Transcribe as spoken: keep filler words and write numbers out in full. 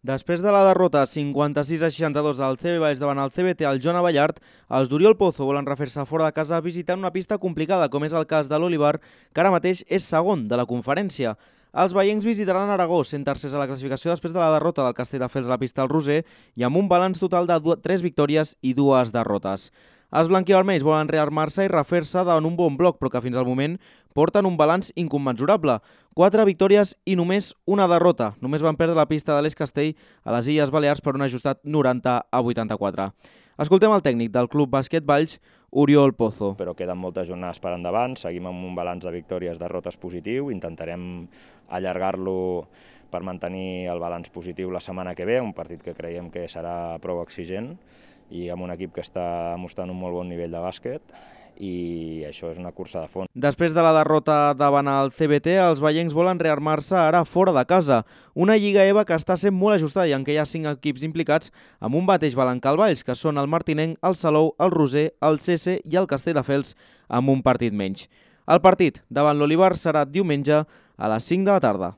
Després de la derrota cinquanta-sis a seixanta-dos del C B Valls davant el C B T al Joan Abellart, els d'Oriol Pozo volen refer-se fora de casa visitant una pista complicada, com és el cas de l'Olivar, que ara mateix és segon de la conferència. Els veiencs visitaran Aragó, sent tercers a la classificació després de la derrota del Castelldefels a la pista del Roser i amb un balanç total de tres victòries i dues derrotes. Els blanquivermells volen rearmar-se i refer-se davant un bon bloc, però que fins al moment porten un balanç incommensurable. Quatre victòries i només una derrota. Només van perdre la pista de l'Eix Castell a les Illes Balears per un ajustat noranta a vuitanta-quatre. Escoltem el tècnic del Club Bàsquet Valls, Oriol Pozo. Però queden moltes jornades per endavant, seguim amb un balanç de victòries, derrotes positiu, intentarem allargar-lo per mantenir el balanç positiu la setmana que ve, un partit que creiem que serà prou exigent i amb un equip que està mostrant un molt bon nivell de bàsquet, i això és una cursa de fons. Després de la derrota davant el C B T, els veiencs volen rearmar-se ara fora de casa. Una Lliga EVA que està sent molt ajustada i en què hi ha cinc equips implicats amb un mateix balancal Valls, que són el Martinenc, el Salou, el Roser, el C S i el Castelldefels, amb un partit menys. El partit davant l'Olivar serà diumenge a les cinc de la tarda.